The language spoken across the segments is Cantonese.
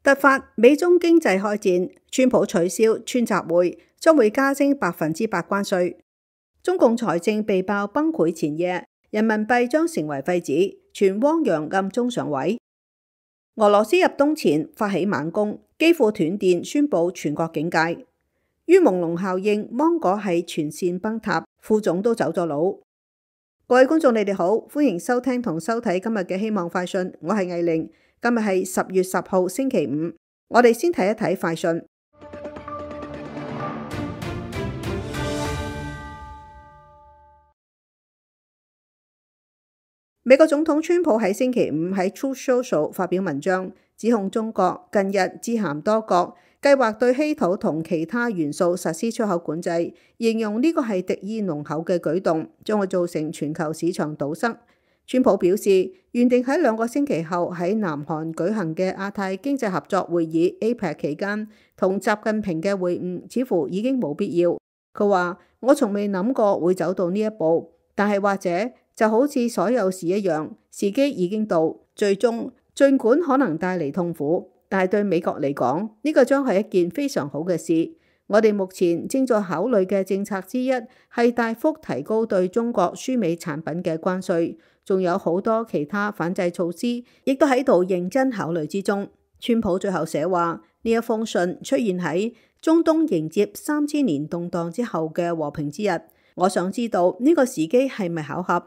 突發美中經濟開戰，川普取消川習會，將會加徵8%關稅。中共財政被爆崩潰前夜，人民幣將成為廢紙，全汪洋暗中上位。俄羅斯入冬前發起猛攻，幾乎斷電，宣布全國警戒。於朦朧效應，芒果係全線崩塌，副總都走咗佬。各位觀眾，你哋好，歡迎收聽同收睇今日嘅希望快訊，我係藝玲。今日係10月10號星期五，我哋先睇一睇快訊。美國總統川普喺星期五喺 Truth Social 發表文章，指控中國近日致函多國，計劃對稀土同其他元素實施出口管制，形容呢個係敵意濃厚嘅舉動，將會造成全球市場堵塞。川普表示，原定喺2個星期後喺南韓舉行嘅亞太經濟合作會議 APEC 期間，同習近平嘅會晤似乎已經冇必要。佢話：我從未諗過會走到呢一步，但係或者就好似所有事一樣，時機已經到。最終，儘管可能帶嚟痛苦，但係對美國嚟講，呢個將係一件非常好嘅事。我哋目前正在考慮嘅政策之一係大幅提高對中國輸美產品嘅關稅。仲有好多其他反制措施，亦都喺度認真考慮之中。川普最後寫話：呢一封信出現喺中東迎接3000年動盪之後嘅和平之日。我想知道呢個時機係咪巧合？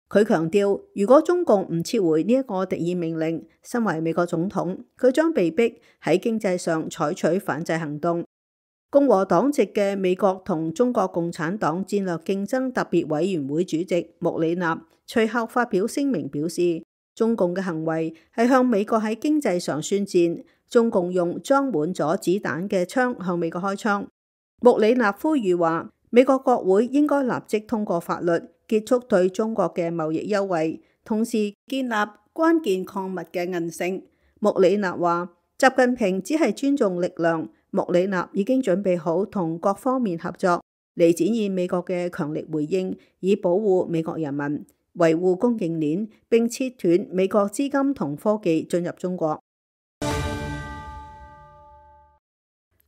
佢強調，如果中共唔撤回呢一個敵意命令，身為美國總統，佢將被逼喺經濟上採取反制行動。共和黨籍嘅美國同中國共產黨戰略競爭特別委員會主席穆里納隨後發表聲明表示，中共嘅行為係向美國喺經濟上宣戰，中共用裝滿咗子彈嘅槍向美國開槍。穆里納呼籲話，美國國會應該立即通過法律，結束對中國嘅貿易優惠，同時建立關鍵礦物嘅韌性。穆里納話，習近平只係尊重力量，穆里納已經準備好同各方面合作，嚟展現美國嘅強力回應，以保護美國人民，維護供應鏈，並切斷美國資金同科技進入中國。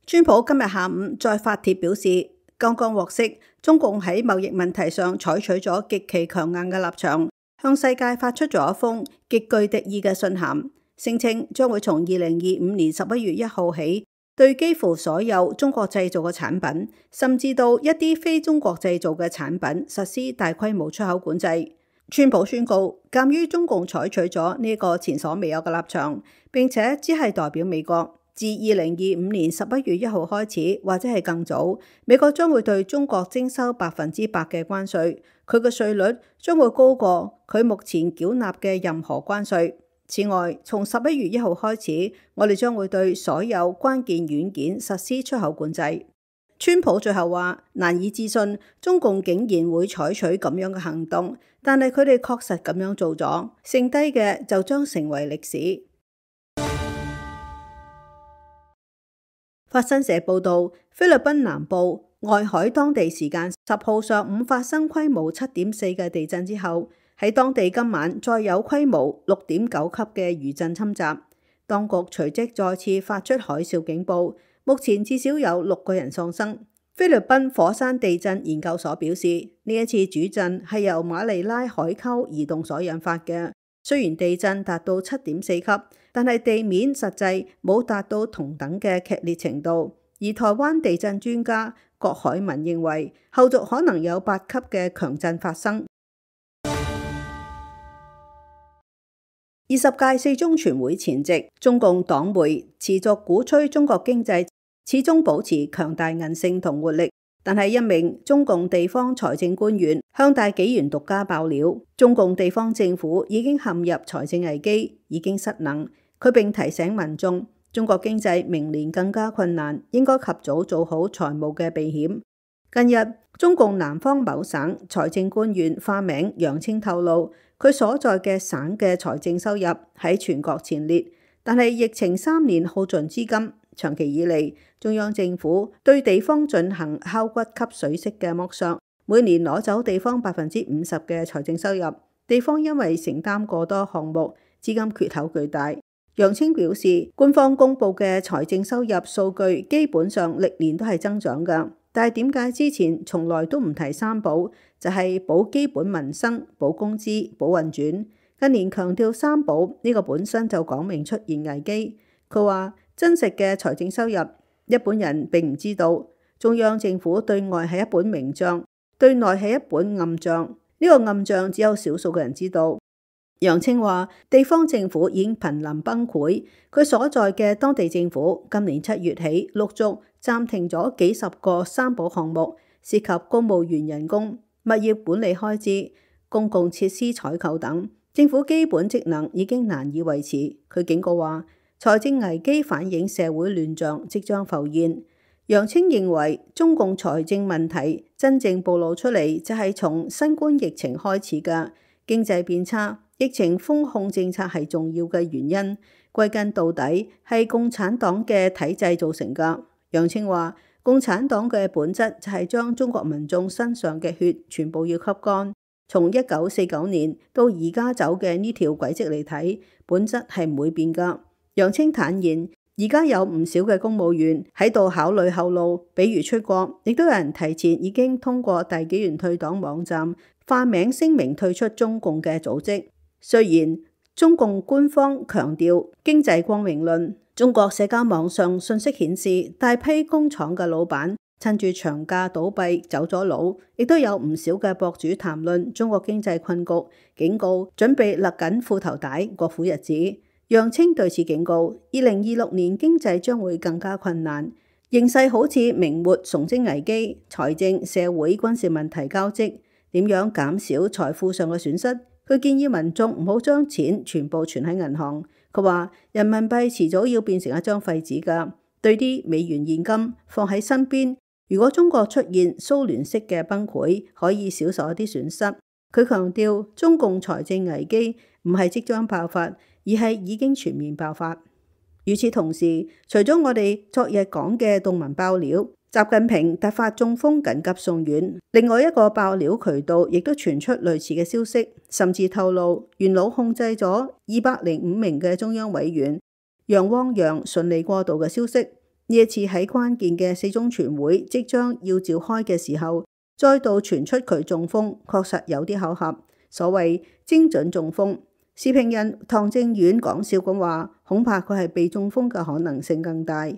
川普今日下午再發帖表示，剛剛獲悉中共喺貿易問題上採取咗極其強硬嘅立場，向世界發出咗一封極具敵意嘅信函，聲稱將會從2025年11月1號起，對幾乎所有中國製造嘅產品，甚至到一啲非中國製造嘅產品實施大規模出口管制。川普宣告，鑑於中共採取咗呢個前所未有嘅立場，並且只係代表美國，自2025年11月1號開始，或者係更早，美國將會對中國徵收100%嘅關稅，佢嘅稅率將會高過佢目前繳納嘅任何關稅。此外，從11月1號開始，我哋將會對所有關鍵軟件實施出口管制。川普最後話，難以置信中共竟然會採取咁樣嘅行動，但係佢哋確實咁樣做咗，剩低嘅就將成為歷史。法新社報道，菲律賓南部外海當地時間10號上午發生規模7.4嘅地震之後，喺當地今晚再有規模6.9級嘅餘震侵襲，當局隨即再次發出海嘯警報。目前至少有6個人喪生。菲律賓火山地震研究所表示，呢一次主震係由馬尼拉海溝移動所引發嘅。雖然地震達到7.4級，但係地面實際冇達到同等嘅劇烈程度。而台灣地震專家郭海文認為，後續可能有8級嘅強震發生。20屆四中全會前夕，中共黨媒持續鼓吹中國經濟始終保持強大韌性同活力，但係一名中共地方財政官員向大紀元獨家爆料，中共地方政府已經陷入財政危機，已經失能。佢並提醒民眾，中國經濟明年更加困難，應該及早做好財務嘅避險。近日，中共南方某省財政官員化名楊清透露，佢所在嘅省嘅財政收入喺全國前列，但係疫情3年耗盡資金。長期以嚟，中央政府對地方進行敲骨吸水式嘅剝削，每年攞走地方50%嘅財政收入。地方因為承擔過多項目，資金缺口巨大。楊清表示，官方公布嘅財政收入數據基本上歷年都係增長㗎，但係點解之前從來都唔提三保？就係保基本民生、保工資、保運轉。近年強調三保呢個本身就講明出現危機。佢話真實嘅財政收入一般人並唔知道，中央政府對外係一本明帳，對內係一本暗帳。呢個暗帳只有少數嘅人知道。楊清話地方政府已經瀕臨崩潰，佢所在嘅當地政府今年7月起陸續暫停咗幾十個三保項目，涉及公務員人工、物業管理開支、公共設施採購等，政府基本職能已經難以維持。佢警告話財政危機反映社會亂象即將浮現。楊清認為中共財政問題真正暴露出嚟就係從新冠疫情開始嘅經濟變差。疫情封控政策係重要嘅原因，歸根到底係共產黨嘅體制造成㗎。楊清話，共產黨嘅本質就係將中國民眾身上嘅血全部要吸乾。從1949年到而家走嘅呢條軌跡嚟睇，本質係唔會變㗎。楊清坦言，而家有唔少嘅公務員喺度考慮後路，比如出國，亦都有人提前已經通過大紀元退黨網站化名聲明退出中共嘅組織。雖然中共官方強調經濟光明論，中國社交網上信息顯示大批工廠嘅老闆趁住長假倒閉走咗佬，亦都有唔少嘅博主談論中國經濟困局，警告準備勒緊褲頭帶過苦日子。楊清對此警告，2026年經濟將會更加困難，形勢好似明末崇禎危機，財政、社會、軍事問題交織，點樣減少財富上嘅損失？佢建議民眾唔好將錢全部存喺銀行。佢話人民幣遲早要變成一張廢紙㗎，對啲美元現金放喺身邊，如果中國出現蘇聯式嘅崩潰，可以少受一啲損失。佢強調中共財政危機唔係即將爆發，而係已經全面爆發。與此同時，除咗我哋昨日講嘅動文爆料，習近平突發中風緊急送院，另外一個爆料渠道亦都傳出類似嘅消息，甚至透露元老控制咗205名嘅中央委員，楊汪洋順利過渡嘅消息。呢一次喺關鍵嘅4中全會即將要召開嘅時候，再度傳出佢中風，確實有啲巧合，所謂精準中風。時評人唐正遠講笑咁話，恐怕佢係被中風嘅可能性更大。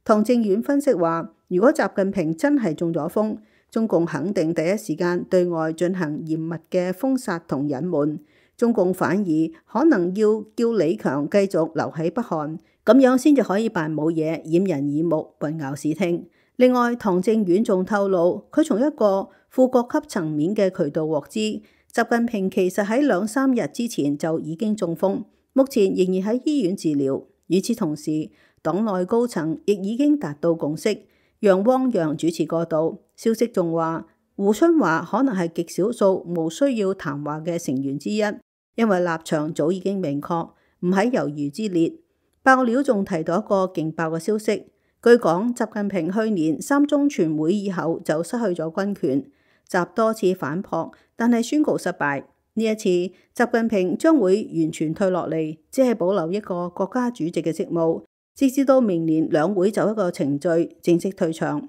唐正遠分析話，如果習近平真係中咗風，中共肯定第一時間對外進行嚴密嘅封殺同隱瞞，中共反而可能要叫李強繼續留喺北韓，咁樣先至可以扮冇嘢，掩人耳目，混淆視聽。另外，唐正遠仲透露，佢從一個副國級層面嘅渠道獲知，習近平其實喺2-3日之前就已經中風，目前仍然喺醫院治療。與此同時，黨內高層亦已經達到共識，楊汪洋主持過渡。消息仲話，胡春華可能係極少數無需要談話嘅成員之一，因為立場早已經明確，唔喺猶豫之列。爆料仲提到一個勁爆嘅消息，據講習近平去年3中全會以後就失去咗軍權，習多次反撲，但係宣告失敗。呢一次習近平將會完全退落嚟，只係保留一個國家主席嘅職務，直至到明年兩會就一個程序正式退場。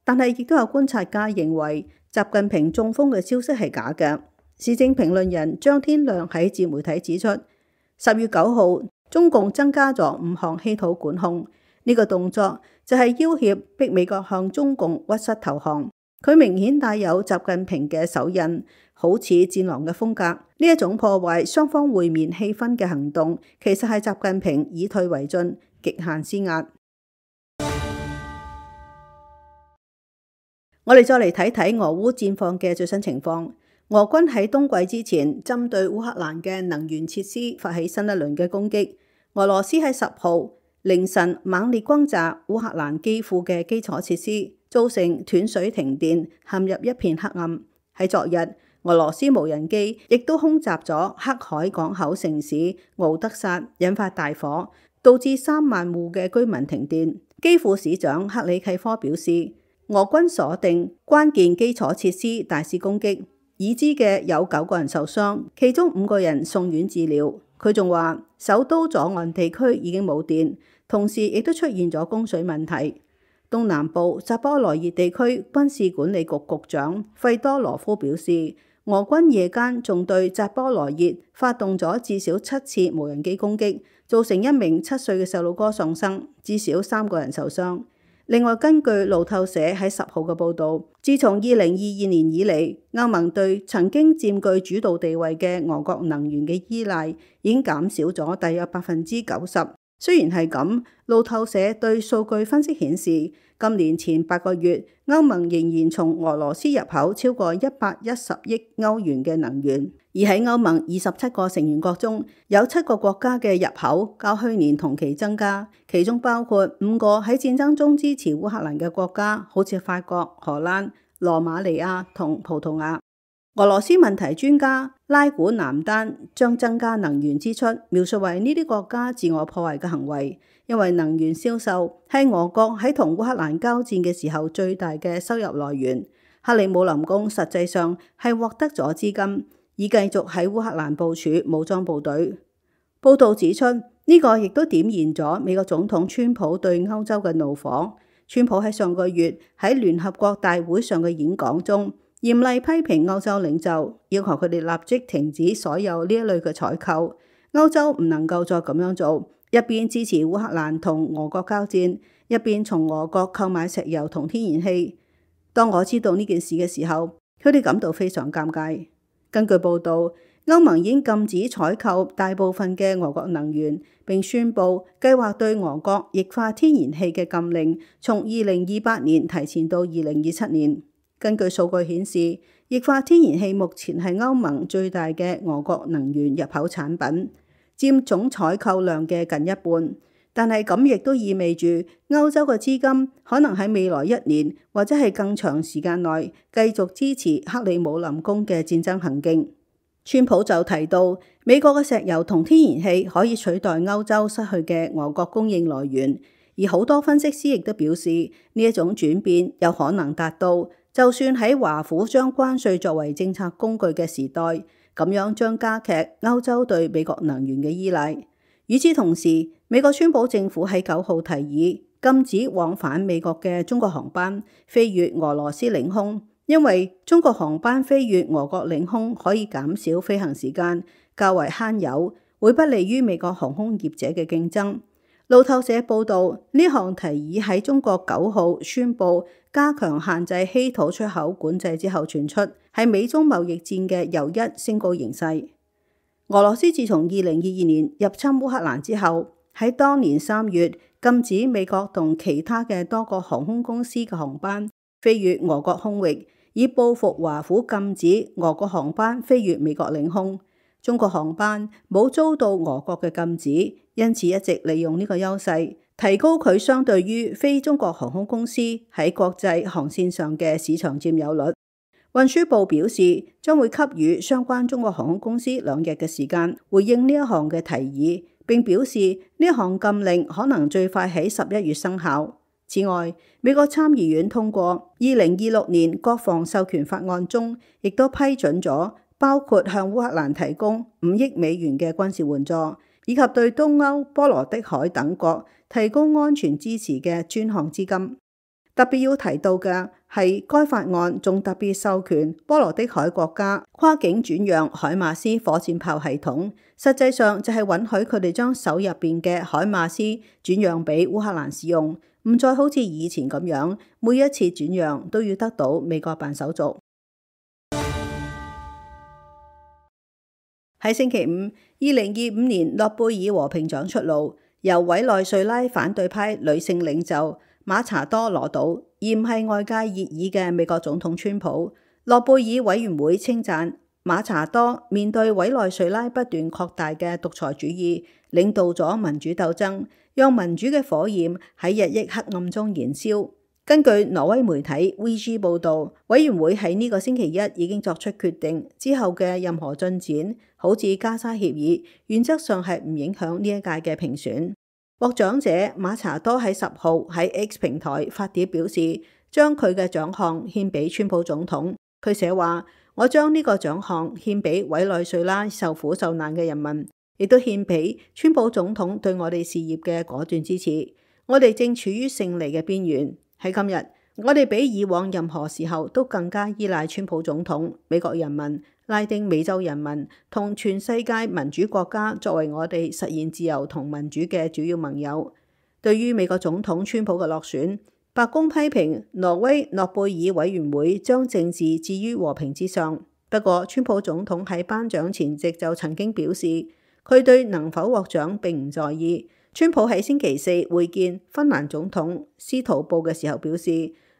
但係亦都有觀察家認為習近平中風嘅消息係假嘅。時政評論人張天亮喺自媒體指出，10月9號中共增加咗5項稀土管控，呢個動作就係要挾逼美國向中共屈膝投降。佢明顯帶有習近平嘅手印，好似戰狼嘅風格。呢一種破壞雙方會面氣氛嘅行動，其實係習近平以退為進，極限施壓。我哋再嚟睇睇俄烏戰況嘅最新情況。俄軍喺冬季之前，針對烏克蘭嘅能源設施發起新一輪嘅攻擊。俄羅斯喺10號凌晨猛烈轟炸烏克蘭基輔嘅基礎設施，造成斷水停電，陷入一片黑暗。喺昨日，俄羅斯無人機亦都空襲咗黑海港口城市敖德薩，引發大火，導致3萬戶嘅居民停電。基輔市長克里契科表示，俄軍鎖定關鍵基礎設施，大肆攻擊，已知嘅有9個人受傷，其中5個人送院治療。佢仲話首都左岸地區已經冇電，同時亦都出現咗供水問題。東南部扎波羅熱地區軍事管理局局長費多羅夫表示，俄軍夜間仲對扎波羅熱發動咗至少7次無人機攻擊，造成1名7歲嘅細路哥喪生，至少3個人受傷。另外，根據路透社喺10號嘅報導，自從2022年以嚟，歐盟對曾經佔據主導地位嘅俄國能源嘅依賴已經減少咗大約90%。雖然係咁，路透社對數據分析顯示，今年前8個月，歐盟仍然從俄羅斯入口超過110億歐元嘅能源，而喺歐盟27個成員國中，有7個國家嘅入口較去年同期增加，其中包括5個喺戰爭中支持烏克蘭嘅國家，好似法國、荷蘭、羅馬尼亞同葡萄牙。俄羅斯問題專家拉古南丹將增加能源支出描述為呢啲國家自我破壞嘅行為，因為能源銷售係俄國喺同烏克蘭交戰嘅時候最大嘅收入來源。克里姆林宮實際上係獲得咗資金，以繼續喺烏克蘭部署武裝部隊。報道指出，呢個亦都點燃咗美國總統川普對歐洲嘅怒火。川普喺上個月喺聯合國大會上嘅演講中，嚴厲批評歐洲領袖，要求佢哋立即停止所有呢一類嘅採購。歐洲唔能夠再咁樣做，一邊支持烏克蘭同俄國交戰，一邊從俄國購買石油同天然氣。當我知道呢件事嘅時候，佢哋感到非常尷尬。根據報導，歐盟已經禁止採購大部分嘅俄國能源，並宣布計劃對俄國液化天然氣嘅禁令從2028年提前到2027年。根據數據顯示，液化天然氣目前係歐盟最大嘅俄國能源入口產品，佔總採購量嘅近一半。但係咁亦都意味住歐洲嘅資金可能喺未來1年或者係更長時間內繼續支持克里姆林宮嘅戰爭行徑。川普就提到，美國嘅石油同天然氣可以取代歐洲失去嘅俄國供應來源，而好多分析師亦都表示呢一種轉變有可能達到，就算喺華府將關稅作為政策工具嘅時代，咁樣將加劇歐洲對美國能源嘅依賴。與此同時，美國川普政府喺9號提議禁止往返美國嘅中國航班飛越俄羅斯領空，因為中國航班飛越俄國領空可以減少飛行時間，較為慳油，會不利於美國航空業者嘅競爭。路透社報導，呢項提議喺中國9號宣布加強限制稀土出口管制之後傳出，係美中貿易戰嘅又一升高形勢。俄羅斯自從2022年入侵烏克蘭之後，喺當年3月禁止美國同其他嘅多個航空公司嘅航班飛越俄國空域，以報復華府禁止俄國航班飛越美國領空。中國航班冇遭到俄國嘅禁止，因此一直利用呢個優勢，提高佢相對於非中國航空公司喺國際航線上嘅市場佔有率。運輸部表示，將會給予相關中國航空公司2日嘅時間回應呢一項嘅提議，並表示呢一項禁令可能最快喺11月生效。此外，美國參議院通過2026年國防授權法案中，亦都批准咗包括向烏克蘭提供5億美元嘅軍事援助，以及對東歐、波羅的海等國提供安全支持嘅專項資金。特別要提到嘅係，該法案仲特別授權波羅的海國家跨境轉讓海馬斯火箭炮系統，實際上就係允許佢哋將手入邊嘅海馬斯轉讓俾烏克蘭使用，唔再好似以前咁樣，每一次轉讓都要得到美國辦手續。喺星期五，2025年諾貝爾和平獎出爐，由委內瑞拉反對派女性領袖馬查多攞到，而唔係外界熱議嘅美國總統川普。諾貝爾委員會稱讚馬查多面對委內瑞拉不斷擴大嘅獨裁主義，領導咗民主鬥爭，讓民主嘅火焰喺日益黑暗中燃燒。根據挪威媒體 VG 報導，委員會喺呢個星期一已經作出決定，之後嘅任何進展，好似加沙協議，原則上係唔影響呢一屆嘅評選。獲獎者馬查多喺10號喺 X 平台發帖表示，將佢嘅獎項獻俾川普總統。佢寫話：我將呢個獎項獻俾委內瑞拉受苦受難嘅人民，亦都獻俾川普總統對我哋事業嘅果斷支持。我哋正處於勝利嘅邊緣。喺今日，我哋比以往任何時候都更加依賴川普總統、美國人民、拉丁美洲人民同全世界民主國家作為我哋實現自由同民主嘅主要盟友。對於美國總統川普嘅落選，白宮批評挪威諾貝爾委員會將政治置於和平之上。不過，川普總統喺頒獎前夕就曾經表示，佢對能否獲獎並唔在意。川普喺星期四會見芬蘭總統斯圖布嘅時候表示，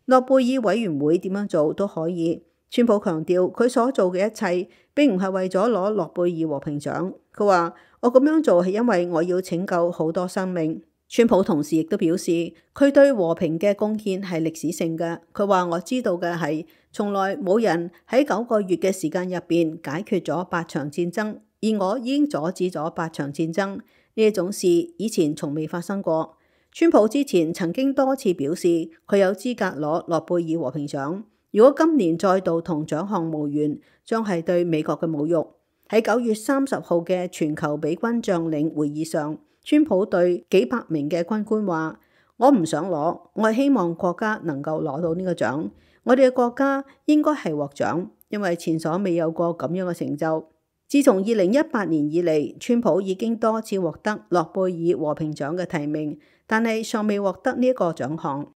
諾貝爾委員會點樣做都可以。川普強調佢所做嘅一切並唔係為咗攞諾貝爾和平獎。佢話：我咁樣做係因為我要拯救好多生命。川普同時亦都表示，佢對和平嘅貢獻係歷史性嘅。佢話：我知道嘅係，從來冇人喺9個月嘅時間入邊解決咗8場戰爭，而我已經阻止咗8場戰爭。呢一種事以前從未發生過。川普之前曾經多次表示，佢有資格攞諾貝爾和平獎。如果今年再度同獎項無緣，將係對美國嘅侮辱。喺9月30號嘅全球比軍將領會議上，川普對幾百名嘅軍官話：我唔想攞，我係希望國家能夠攞到呢個獎。我哋嘅國家應該係獲獎，因為前所未有過咁樣嘅成就。自從2018年以嚟，川普已經多次獲得諾貝爾和平獎嘅提名，但係尚未獲得呢一個獎項。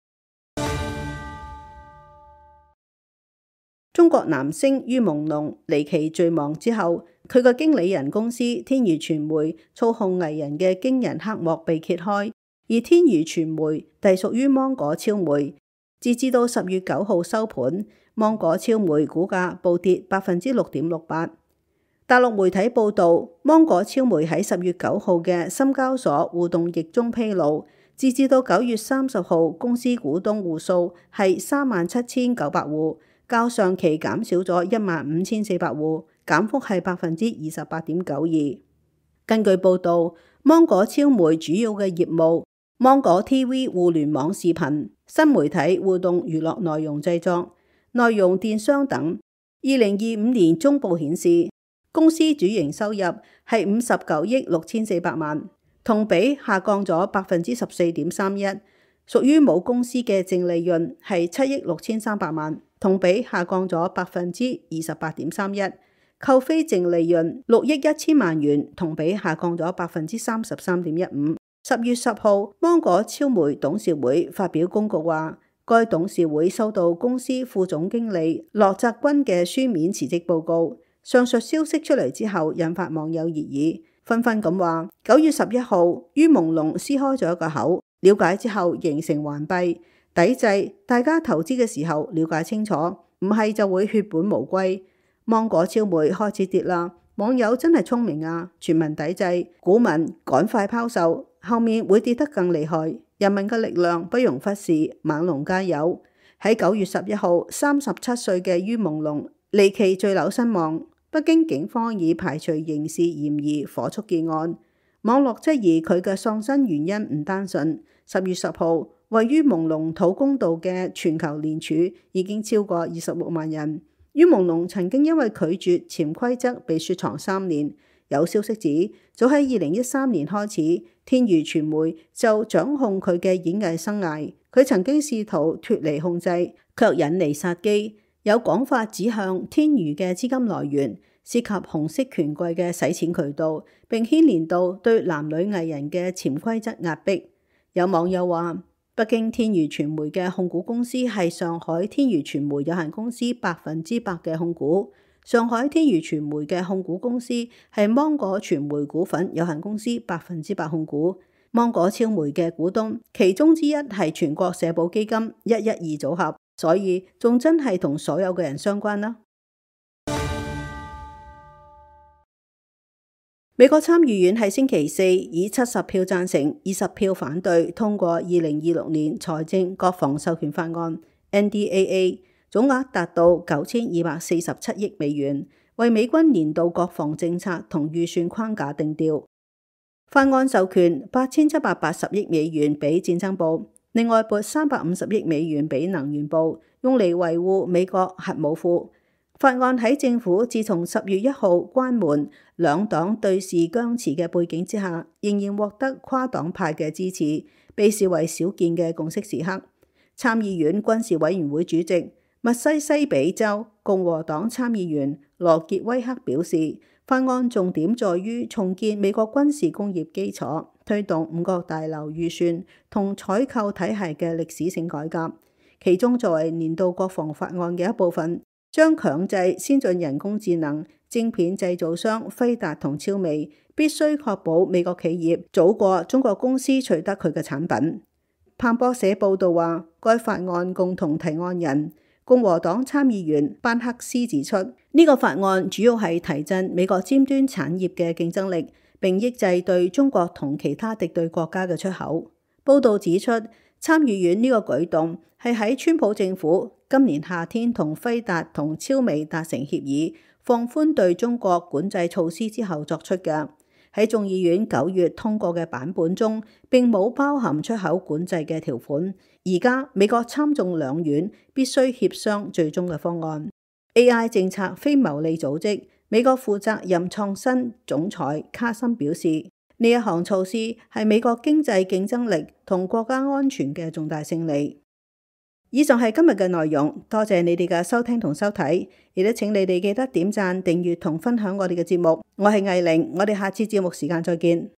中國男星于朦朧離奇墜亡之後，佢個經理人公司天娛傳媒操控藝人嘅驚人黑幕被揭開，而天娛傳媒隸屬於芒果超媒。截至到10月9號收盤，芒果超媒股價暴跌6.68%。大陸媒體報道，芒果超媒喺10月9號嘅深交所互動易中披露，截至到9月30號，公司股東戶數係37,900戶。較上期減少咗15,400戶，減幅係28.92%。根據報導，芒果超媒主要嘅業務，芒果 TV 互聯網視頻、新媒體互動娛樂內容製作、內容電商等。2025年中報顯示，公司主營收入係59億6400萬，同比下降咗14.31%。屬於母公司嘅淨利潤係7億6300萬，同比下降咗28.31%，扣非淨利潤6億1000萬元，同比下降咗33.15%。10月10號，芒果超媒董事會發表公告話，該董事會收到公司副總經理駱澤軍嘅書面辭職報告。上述消息出嚟之後，引發網友熱議，紛紛咁話9月11號，于朦朧撕開咗一個口。了解之後形成環閉，抵制大家投資嘅時候了解清楚，唔係就會血本無歸。芒果超媒開始跌啦，網友真係聰明啊！全民抵制，股民趕快拋售，後面會跌得更厲害。人民嘅力量不容忽視，猛龍加油！喺9月11號，37歲嘅于朦朧離奇墜樓身亡，北京警方已排除刑事嫌疑，火速結案。網絡質疑佢嘅喪生原因唔單純。10月10號，為于朦朧討公道嘅全球聯署已經超過26萬人。于朦朧曾經因為拒絕潛規則被雪藏3年。有消息指，早喺2013年開始，天娛傳媒就掌控佢嘅演藝生涯。佢曾經試圖脫離控制，卻引嚟殺機。有講法指向天娛嘅資金來源涉及紅色權貴嘅洗錢渠道，並牽連到對男女藝人嘅潛規則壓迫。有網友話，北京天娛傳媒嘅控股公司係上海天娛傳媒有限公司100%嘅控股。上海天娛傳媒嘅控股公司係芒果傳媒股份有限公司100%控股。芒果超媒嘅股東，其中之一係全國社保基金112組合，所以仲真係同所有嘅人相關啦。美國參議院喺星期四以70票贊成、20票反對通過2026年財政國防授權法案 NDAA， 總額達到9247億美元，為美軍年度國防政策同預算框架定調。法案授權8780億美元俾戰爭部，另外撥350億美元俾能源部，用嚟維護美國核武庫。法案喺政府自從10月1號關門兩黨對峙僵持嘅背景之下，仍然獲得跨黨派嘅支持，被視為少見嘅共識時刻。參議院軍事委員會主席密西西比州共和黨參議員羅傑威克表示，法案重點在於重建美國軍事工業基礎，推動五角大樓預算同採購體系嘅歷史性改革。其中作為年度國防法案嘅一部分，將強制先進人工智能晶片製造商輝達同超微必須確保美國企業早過中國公司取得佢嘅產品。彭博社報導話，該法案共同提案人共和黨參議員班克斯指出，呢個法案主要係提振美國尖端產業嘅競爭力，並抑制對中國同其他敵對國家嘅出口。報導指出，參議院呢個舉動係喺川普政府今年夏天同輝達同超微達成協議，放寬對中國管制措施之後作出嘅。喺眾議院9月通過嘅版本中，並冇包含出口管制嘅條款。而家美國參眾兩院必須協商最終嘅方案。AI 政策非牟利組織美國負責任創新總裁卡森表示，呢一項措施係美國經濟競爭力同國家安全嘅重大勝利。以上係今日嘅內容，多謝你哋嘅收聽同收睇，亦都請你哋記得點讚、訂閱同分享我哋嘅節目。我係藝玲，我哋下次節目時間再見。